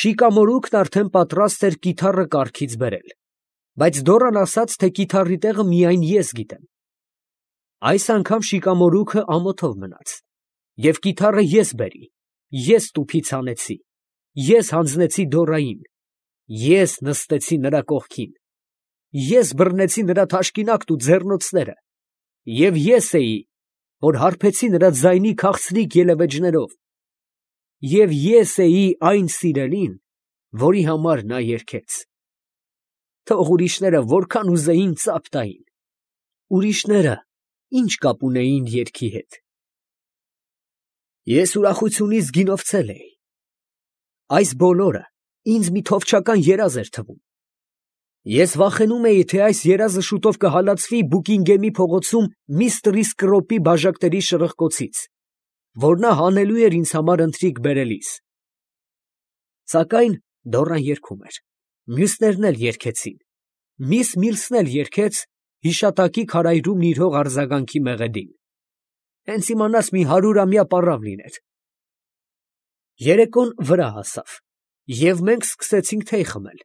Շիկամորուկն արդեն պատրաստ էր կիթառը կառքից բերել, բայց Դորան ասաց, թե կիթառի տեղը միայն ես գիտեմ։ Այս անգամ Շիկամորուկը ամոթով մնաց, և կիթառը ես բերի, ես տուփից հանեցի, ես հանձնեցի Դորային, ես նստեցի նրա կողքին, ես բռնեցի նրա թաշկինակն ու ձեռնոցները, և ես էի, որ հարբեցի նրա ձայնի քաղցրիկ ելևէջներով, և ես էի այն սիրելին, որի համար նա երգեց։ Թող ուրիշները որքան ուզեին ծափ տային, ուրիշները ի՞նչ կապ ունեին երգի հետ։ Ես ուրախությունից գինովցել էի։ Այս բոլորը ինձ մի թովչական երազ էր թվում։ Ես վախենում էի, թե այս երազը շուտով կհալածվի Բուկինգեմի փողոցում միստր Իսկրոպի բաժակների շրխկոցից, որ նա հանելու էր ինձ համար ընթրիք բերելիս։ Սակայն Դորան երգում էր, մյուսներն էլ երգեցին, միս Միլսն էլ երգեց հիշատակի քարայրում նիրհող արձագանքի մեղեդին։ Հենց իմանաս մի 100-ամյա պառավ լիներ։ Երեկոն վրա հասավ, և մենք սկսեցինք թեյ խմել,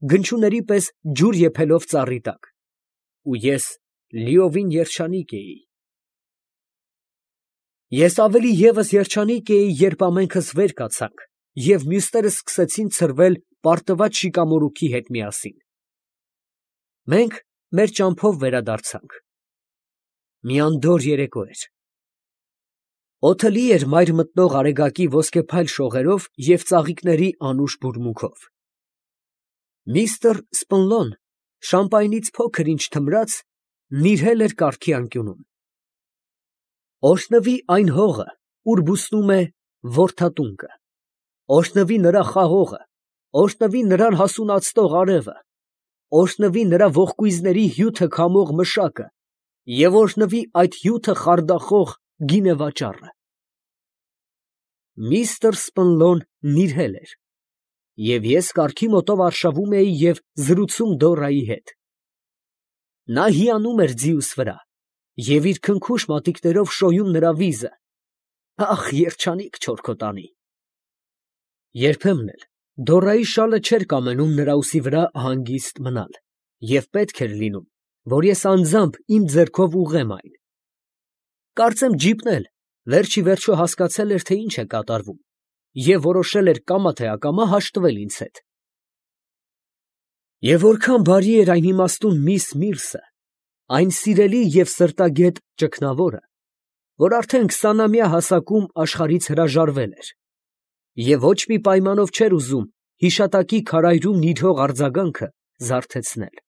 գնչուների պես ջուր եփելով ծառի տակ, ու ես լիովին երջանիկ էի։ Ես ավելի ևս երջանիկ էի, երբ ամենքս վեր կացանք, և մյուսները սկսեցին ցրվել պարտված Շիկամորուքի հետ միասին։ Մենք մեր ճամփով վերադարձանք։ Մի անդորր երեկո էր։ Օդը լի էր մայր մտնող արեգակի ոսկեփայլ շողերով և ծաղիկների անուշ բուրմունքով։ Միստր Սպնլոն շամպայնից փոքր ինչ թմրած նիրհել էր կառքի անկյունում։ Օրհնվի այն հողը, ուր բուսնում է որդատունկը, օրհնվի նրա խաղողը, օրհնվի նրան հասունացնող արևը, օրհնվի նրա ողկույզների հյութը քամող մշակը և օրհնվի այդ հյութը խարդախող գինեվաճառը։ Միստր Սպնլոն նիրհել էր, և ես կառքի մոտով արշավում էի և զրուցում Դորայի հետ։ Նա հիանում էր ձիուս վրա և իր քնքուշ մատիկներով շոյում նրա վիզը։ Ա՜խ, երջանիկ չորքոտանի։ Երբեմն էլ Դորայի շալը չէր կամենում նրա ուսի վրա հանգիստ մնալ, և պետք էր լինում, որ ես անձամբ իմ ձեռքով ուղղեմ այն։ Կարծեմ ջիպն էլ վերջ ի վերջո հասկացել էր, թե ինչ է կատարվում, և որոշել էր կամա թե ակամա հաշտվել ինձ հետ։ Եվ որքան բարի էր այն իմաստուն միս Միլսը, այն սիրելի և սրտագետ ճգնավորը, որ արդեն 20-ամյա հասակում աշխարհից հրաժարվել էր, և ոչ մի պայմանով չէր ուզում հիշատակի քարայրում նիրհող արձագանքը զարթեցնել։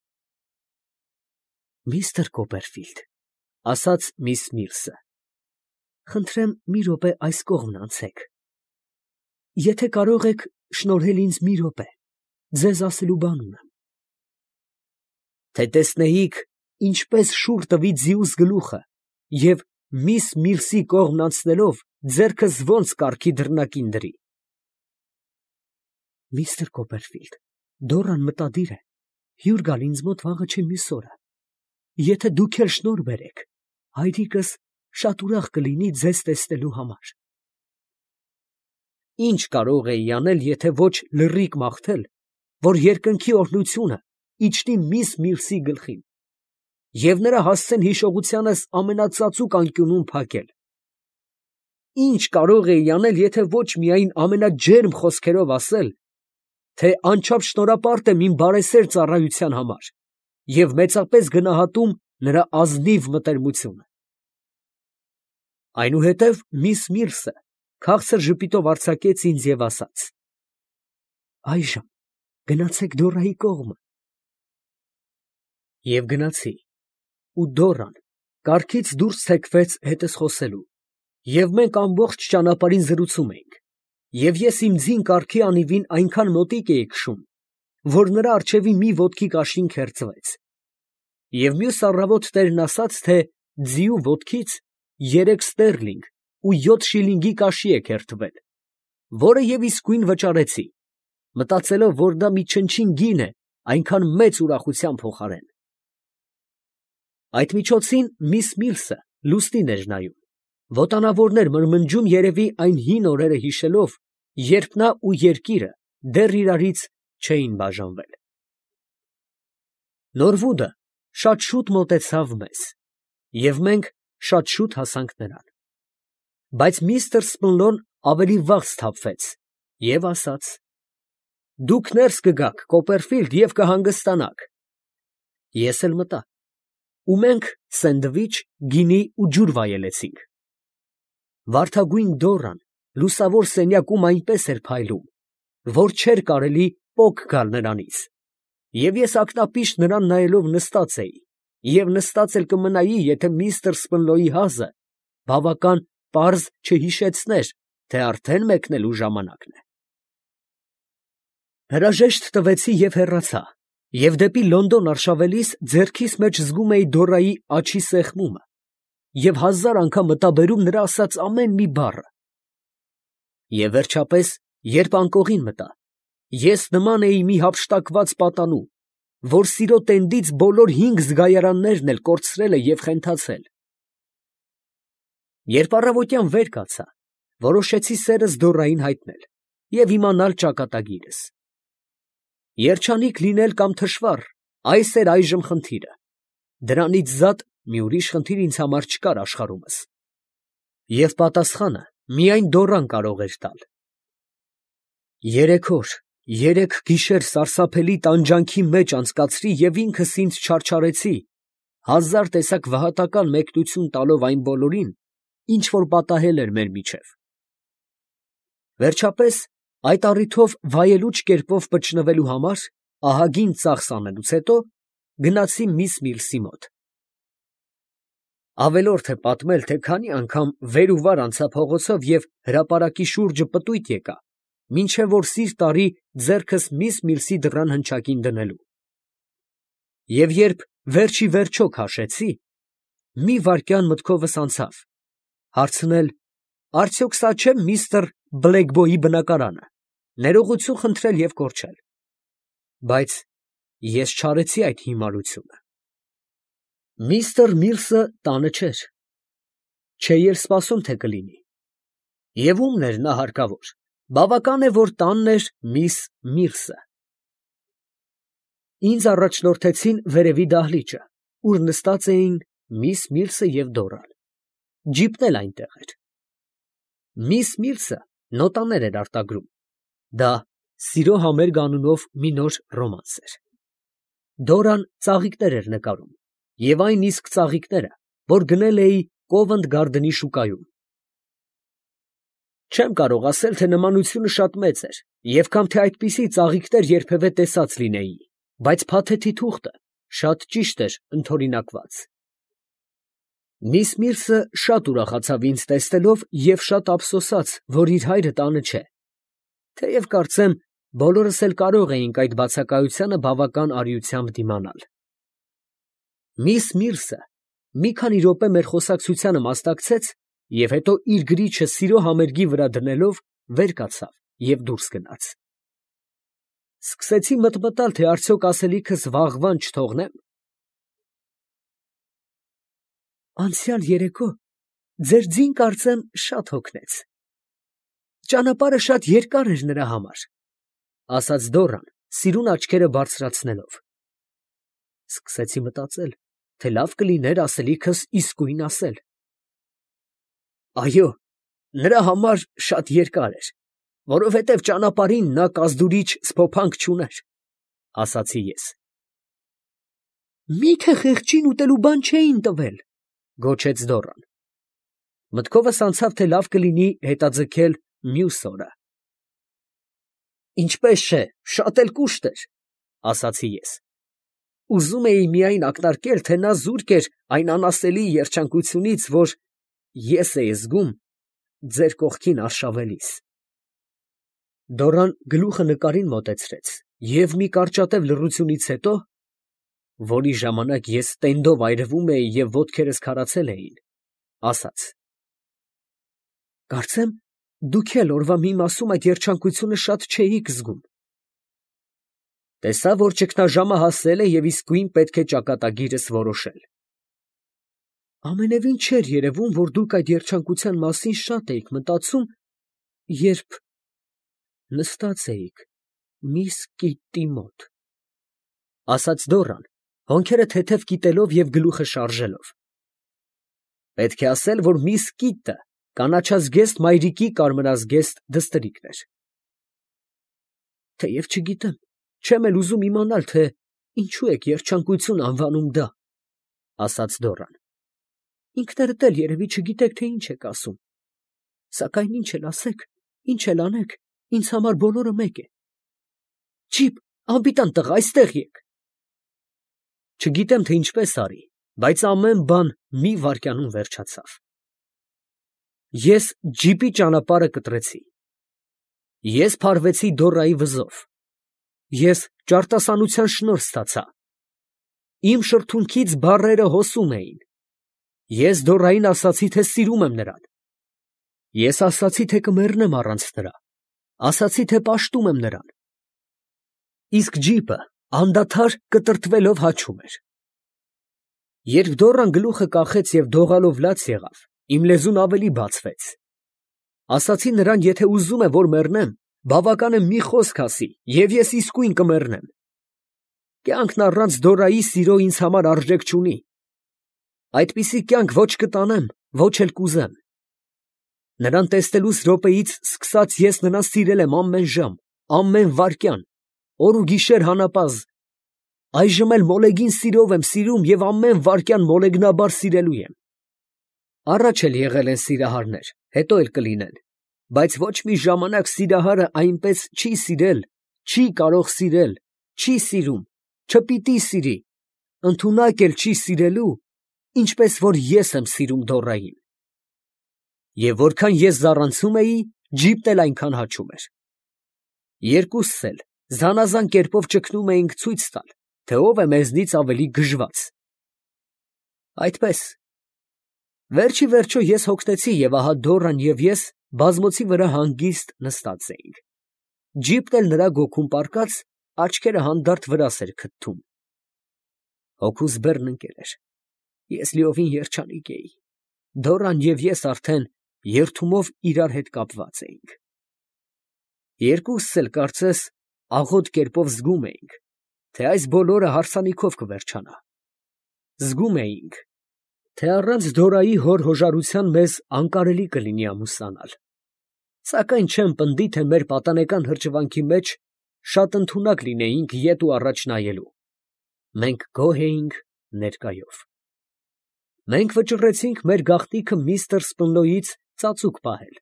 Միստր Կոպերֆիլդ, ֊ ասաց միս Միլսը, ֊ խնդրեմ մի րոպե այս կողմն անցեք. եթե կարող եք շնորհել ինձ մի րոպե, ձեզ ասելու բան ունեմ։ Թե տեսնեիք, ինչպես շուռ տվի ձիուս գլուխը, և միս Միլսի կողմն անցնելով ձեռքս ոնց կառքի դռնակին դրի։ Միստր Կոպերֆիլդ, Դորան մտադիր է հյուր գալ ինձ մոտ վաղը չէ մյուս օրը։ Եթե դուք էլ շնորհ բերեք, հայրիկս շատ ուրախ կլինի ձեզ տեսնելու համար։ Ի՞նչ կարող էի անել, եթե ոչ լռիկ մաղթել, որ երկնքի օրհնությունը իջնի միս Միլսի գլխին, և նրա հասցեն հիշողությանս ամենածածուկ անկյունում փակել։ Ի՞նչ կարող էի անել, եթե ոչ միայն ամենաջերմ խոսքերով ասել, թե անչափ շնորհապարտ եմ իմ բարեսեր ծառայության համար և մեծապես գնահատում նրա ազնիվ մտերմությունը։ Այնուհետև միս Միլսը քաղցր ժպիտով արձակեց ինձ և ասաց. այժմ գնացեք Դորայի կողմը։ Եվ գնացի, ու Դորան կառքից դուրս թեքվեց հետս խոսելու, և մենք ամբողջ ճանապարհին զրուցում էինք, և ես իմ ձին կառքի անիվին այնքան մոտիկ էի քշում, որ նրա առջևի մի ոտքի կաշին քերծվեց, և մյուս առավոտ տերն ասաց, թե ձիու ոտքից 3 ստերլինգ ու 7 շիլինգի կաշի է քերթվել, որը և իսկույն վճարեցի, մտածելով, որ դա մի չնչին գին է այնքան մեծ ուրախության փոխարեն։ Այդ միջոցին միս Միլսը լուսնին էր նայում, ոտանավորներ մրմնջում երևի այն հին օրերը հիշելով, երբ նա ու երկիրը դեռ իրարից չէին բաժանվել։ Նորվուդը շատ շուտ մոտեցավ մեզ, և մենք շատ շուտ հասանք նրան։ Բայց միստր Սմլոն ավելի վաղ սթափվեց և ասաց. «Դուք ներս կգաք, Կոպերֆիլդ, և կհանգստանաք»։ Ես էլ մտա, ու մենք սենդվիչ, գինի ու ջուր վայելեցինք։ Վարդագույն Դորան լուսավոր սենյակում այնպես էր փայլում, որ չէր կարելի պոկ գալ նրանից, և ես ակնապիշտ նրան նայելով նստած էի, և նստած էլ կմնայի, եթե միստր Սպնլոյի հազը բավական պարզ չհիշեցներ, թե արդեն մեկնելու ժամանակն է։ Հրաժեշտ տվեցի և հեռացա, և դեպի Լոնդոն արշավելիս ձեռքիս մեջ զգում էի Դորայի աջի սեղմումը և 1000 անգամ մտաբերում նրա ասած ամեն մի բառը։ Եվ վերջապես, երբ անկողին մտա, ես նման էի մի հափշտակված պատանու, որ սիրո տենդից բոլոր 5 զգայարաններն էլ կորցրել է և խենթացել։ Երբ առավոտյան վեր կացա, որոշեցի սերս Դորային հայտնել և իմանալ ճակատագիրս։ Երջանիկ լինել կամ թշվառ, այս էր այժմ խնդիրը, դրանից զատ մի ուրիշ խնդիր ինձ համար չկար աշխարհումս։ Եվ պատասխանը միայն Դորան կարող էր տալ։ 3 օր, 3 գիշեր սարսափելի տանջանքի մեջ անցկացրի և ինքս ինձ չարչարեցի, 1000 տեսակ վհատական մեկնություն տալով այն բոլորին, ինչ որ պատահել էր մեր միջև։ Վերջապես, այդ առիթով վայելուչ կերպով պճնվելու համար, ահագին ծախս անելուց հետո, գնացի միս Միլսի մոտ։ Ավելորդ է պատմել, թե քանի անգամ վեր ու վար անցա փողոցով և հրապարակի շուրջը պտույտ եկա, մինչև որ սիրտ արի ձեռքս միս Միլսի դռան հնչակին դնելու։ Եվ երբ վերջ ի վերջո քաշեցի, մի վայրկյան մտքովս անցավ հարցնել. «Արդյոք սա չէ՞ միստր Բլեքբոյի բնակարանը, ներողություն խնդրել և կորչել»։ Բայց ես չարեցի այդ հիմարությունը։ Միստր Միլսը տանը չէր, չէի էլ սպասում, թե կլինի։ Եվ ումն էր նա հարկավոր, բավական է, որ տանն էր միս Միլսը։ Ինձ առաջնորդեցին վերևի դահլիճը, ուր նստած էին միս Միլսը և Դորան։ Ջիպն էլ այնտեղ էր։ Միս Միլսը նոտաներ էր արտագրում, դա «Սիրո համերգ» անունով մի նոր ռոմանս էր։ Դորան ծաղիկներ էր նկարում, և այն իսկ ծաղիկները, որ գնել էի Կովենտ Գարդենի շուկայում։ Չեմ կարող ասել, թե նմանությունը շատ մեծ էր, և կամ թե այդպիսի ծաղիկներ երբևէ տեսած լինեի, բայց փաթեթի թուղթը շատ ճիշտ էր ընդօրինակված։ Միս Միլսը շատ ուրախացավ ինձ տեսնելով և շատ ափսոսաց, որ իր հայրը տանը չէ, թեև կարծեմ բոլորս էլ կարող էինք այդ բացակայությանը բավական արիությամբ դիմանալ։ Միս Միլսը մի քանի րոպե մեր խոսակցությանը մասնակցեց և հետո իր գրիչը սիրո համերգի վրա դնելով, վեր կացավ և դուրս գնաց։ Սկսեցի մտմտալ, թե արդյոք ասելիքս վաղվան չթողնեմ։ Անցյալ երեկո ձեր ձին, կարծեմ, շատ հոգնեց։ Ճանապարհը շատ երկար էր նրա համար, ֊ ասաց Դորան, սիրուն աչքերը բարձրացնելով։ Սկսեցի մտածել, թե լավ կլիներ ասելիքս իսկույն ասել։ Այո, նրա համար շատ երկար էր, որովհետև ճանապարհին նա կազդուրիչ սփոփանք չուներ, ֊ ասացի ես։ Մի՞թե խեղճին ուտելու բան չէին տվել, ֊ գոչեց Դորան։ Մտքովս անցավ, թե լավ կլինի հետաձգել մյուս օրը։ Ինչպես չէ, շատ էլ կուշտ էր, ֊ ասացի ես։ Ուզում էի միայն ակնարկել, թե նա զուրկ էր այն անասելի երջանկությունից, որ ես էի զգում ձեր կողքին արշավելիս։ Դորան գլուխը նկարին մոտեցրեց և մի կարճատև լռությունից հետո, որի ժամանակ ես տենդով այրվում էի և ոտքերս քարացել էին, ասաց. Կարծեմ դուք էլ օրվա մի մասում այդ երջանկությունը շատ չէիք զգում։ Տեսա, որ ճգնաժամը հասել է և իսկույն պետք է ճակատագիրս որոշել։ Ամենևին չէր երևում, որ դուք այդ երջանկության մասին շատ էիք մտածում, երբ նստած էիք Միսկիտի մոտ, ասաց Դորան, հոնքերը թեթև կիտելով և գլուխը շարժելով։ Պետք է ասել, որ Միսկիտը կանաչազգեստ մայրիկի կարմրազգեստ դստրիկն էր։ Թեև չգիտեմ, չեմ էլ ուզում իմանալ, թե ինչու եք երջանկություն անվանում դա, ասաց Դորան։ Ինքներդ էլ երևի չգիտեք, թե ինչ եք ասում, սակայն ինչ էլ ասեք, ինչ էլ անեք, ինձ համար բոլորը մեկ է։ Ջիպ, անպիտան տղա, այստեղ եկ։ Չգիտեմ, թե ինչպես արի, բայց ամեն բան մի վայրկյանում վերջացավ։ Ես ջիպի ճանապարհը կտրեցի։ Ես փարվեցի Դորայի վզով։ Ես ճարտասանության շնորհ ստացա։ Իմ շրթունքից բառերը հոսում էին։ Ես Դորային ասացի, թե սիրում եմ նրան։ Ես ասացի, թե կմեռնեմ առանց նրա։ Ասացի, թե պաշտում եմ նրան։ Իսկ ջիպը անդադար կտրտվելով հաչում էր։ Երբ Դորան գլուխը կախեց և դողալով լաց եղավ, իմ լեզուն ավելի բացվեց։ Ասացի նրան, եթե ուզում է, որ մեռնեմ, բավական է մի խոսք ասի, և ես իսկույն կմեռնեմ։ Կյանքն առանց Դորայի սիրո ինձ համար արժեք չունի։ Այդպիսի կյանք ոչ կտանեմ, ոչ էլ կուզեմ։ Նրան տեսնելուց րոպեից սկսած ես նրան սիրել եմ ամեն ժամ, ամեն վայրկյան, օր ու գիշեր հանապազն։ Այժմ էլ մոլեգին սիրով եմ սիրում և ամեն վայրկյան մոլեգնաբար սիրելու եմ։ Առաջ էլ եղել են սիրահարներ, հետո էլ կլինեն, բայց ոչ մի ժամանակ սիրահարը այնպես չի սիրել, չի կարող սիրել, չի սիրում, չպիտի սիրի, ընդունակ էլ չի սիրելու, ինչպես որ ես եմ սիրում Դորային։ Եվ որքան ես զառանցում էի, ջիպն էլ այնքան հաչում էր։ Երկուսս էլ զանազան կերպով ճգնում էինք ցույց տալ, թե ով է մեզնից ավելի գժված։ Այդպես, վերջի վերջո ես հոգնեցի և ահա Դորան և ես բազմոցի վրա հանգիստ նստած էինք։ Ջիպն էլ նրա գոգում պառկած, աչքերը հանդարտ վրաս էր քթում։ Հոգուս բեռն ընկել էր։ Ես լիովին երջանիկ էի։ Դորան և ես արդեն երդումով իրար հետ կապված էինք։ Երկուսս էլ կարծես աղոտ կերպով զգում էինք, թե այս բոլորը հարսանիքով կվերջանա։ Զգում էինք, թե առանց Դորայի հոր հոժարության մեզ անկարելի կլինի ամուսնանալ։ Սակայն չեմ պնդի, թե մեր պատանեկան հրճվանքի մեջ շատ ընդունակ լինեինք ետ ու առաջ նայելու։ Մենք գոհ էինք ներկայով։ Մենք վճռեցինք մեր գաղտնիքը միստր Սպնլոյից ծածուկ պահել,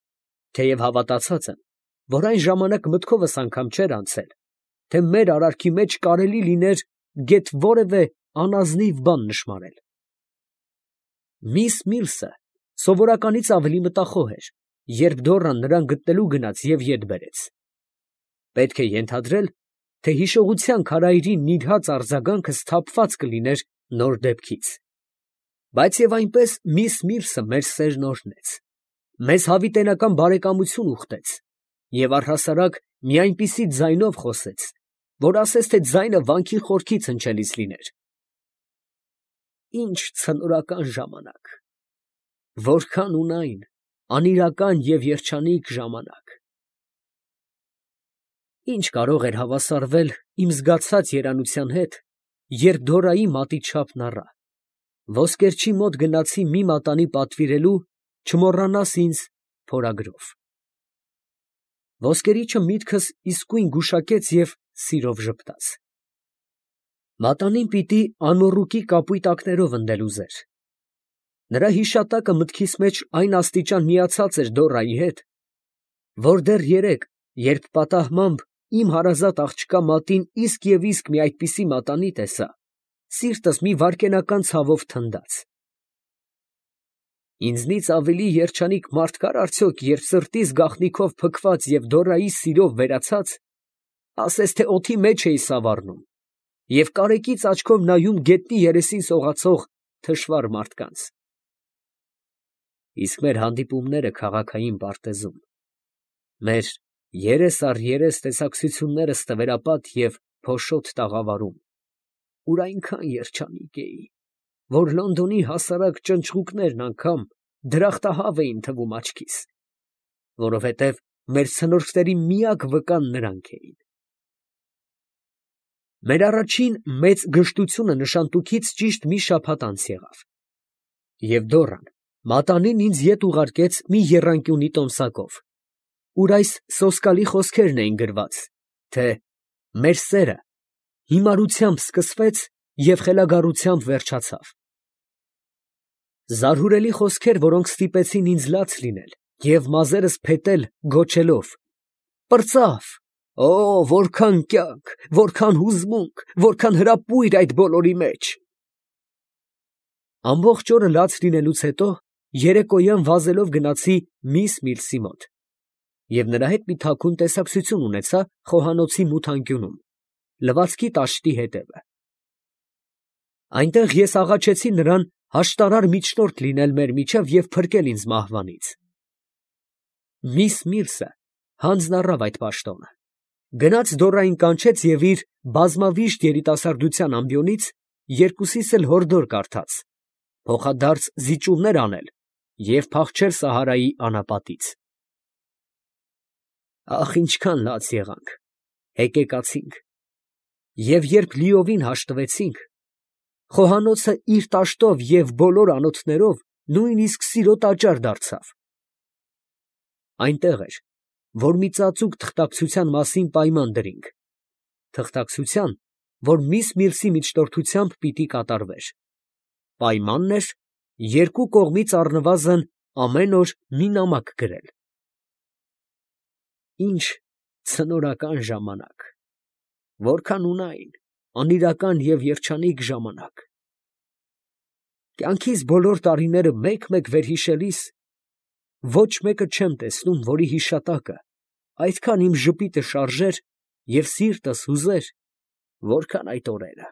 թեև հավատացած եմ, որ այն ժամանակ մտքովս անգամ չէր անցել, թե մեր արարքի մեջ կարելի լիներ գեթ որևէ անազնիվ բան նշմարել։ Միս Միլսը սովորականից ավելի մտախոհ էր, երբ Դորան նրան գտնելու գնաց և ետ բերեց։ Պետք է ենթադրել, թե հիշողության քարայրի նիրհած արձագանքը սթափված կլիներ նոր դեպքից։ Բայց և այնպես միս Միլսը մեր սերն օրհնեց, մեզ հավիտենական բարեկամություն ուխտեց և առհասարակ մի այնպիսի ձայնով խոսեց, որ ասես թե ձայնը վանքի խորքից հնչելիս լիներ։ Ինչ ցնորական ժամանակ, որքան ունայն անիրական և երջանիկ ժամանակ։ Ինչ կարող էր հավասարվել իմ զգացած երանության հետ, երբ Դորայի մատի չափն առա, ոսկերչի մոտ գնացի մի մատանի պատվիրելու, չմոռանաս ինձ փորագրով։ Ոսկերիչը միտքս իսկույն գուշակեց և սիրով ժպտաց։ Մատանին պիտի անմոռուկի կապույտ ակներով ընդել ուզեր։ Նրա հիշատակը մտքիս մեջ այն աստիճան միացած էր Դորայի հետ, որ դեռ երեկ, երբ պատահմամբ իմ հարազատ աղջկա մատին իսկ և իսկ մի այդպիսի մատանի տեսա, սիրտս մի վայրկենական ցավով թնդաց։ Ինձնից ավելի երջանիկ մարդ կար արդյոք, երբ սրտիս գաղտնիքով փքված և Դորայի սիրով վերացած, ասես թե օդի մեջ էի սավառնում և կարեկից աչքով նայում գետնի երեսին սողացող թշվառ մարդկանց։ Իսկ մեր հանդիպումները քաղաքային պարտեզում, մեր երես առ երես տեսակցությունները ստվերապատ և փոշոտ տաղավարում, ուր այնքան երջանիկ էի, որ Լոնդոնի հասարակ ճնճղուկներն անգամ դրախտահավ էին թվում աչքիս, որովհետև մեր ցնորքների միակ վկան նրանք էին։ Մեր առաջին մեծ գժտությունը նշանտուքից ճիշտ մի շաբաթ անց եղավ, և Դոռան մատանին ինձ ետ ուղարկեց մի եռանկյունի տոմսակով, ուր այս սոսկալի խոսքերն էին գրված, թե մեր սերը հիմարությամբ սկսվեց և խելագարությամբ վերջացավ. զարհուրելի խոսքեր, որոնք ստիպեցին ինձ լաց լինել և մազերս փետել գոչելով. «Պրծավ, օ, որքան կյանք, որքան հուզմունք, որքան հրապույր այդ բոլորի մեջ»։ Ամբողջ օրը լաց լինելուց հետո երեկոյան վազելով գնացի միս Միլսի մոտ և նրա հետ մի թաքուն տեսակցություն ունեցա խոհանոցի մութ անկյունում, լվացքի տաշտի հետևը. այնտեղ ես աղաչեցի նրան հաշտարար միջնորդ լինել մեր միջև և փրկել ինձ մահվանից։ Միս Միլսը հանձն առավ այդ պաշտոնը, գնաց Դոռային կանչեց և իր բազմավիշտ երիտասարդության ամբիոնից երկուսիս էլ հորդոր կարդաց, փոխադարձ զիջումներ անել և փախչել Սահարայի անապատից։ Ախ, ինչքան լաց եղանք, հեկեկացինք, և երբ լիովին հաշտվեցինք, խոհանոցը իր տաշտով և բոլոր անոթներով նույնիսկ սիրո տաճար դարձավ։ Այնտեղ էր, որ մի ծածուկ թղթակցության մասին պայման դրինք, թղթակցության, որ միս Միլսի միջնորդությամբ պիտի կատարվեր. պայմանն էր երկու կողմից առնվազն ամեն օր մի նամակ գրել։ Ինչ ցնորական ժամանակ, որքան ունայն, անիրական և երջանիկ ժամանակ… Կյանքիս բոլոր տարիները մեկ֊մեկ վերհիշելիս ոչ մեկը չեմ տեսնում, որի հիշատակը այդքան իմ ժպիտը շարժեր և սիրտս հուզեր, որքան այդ օրերը…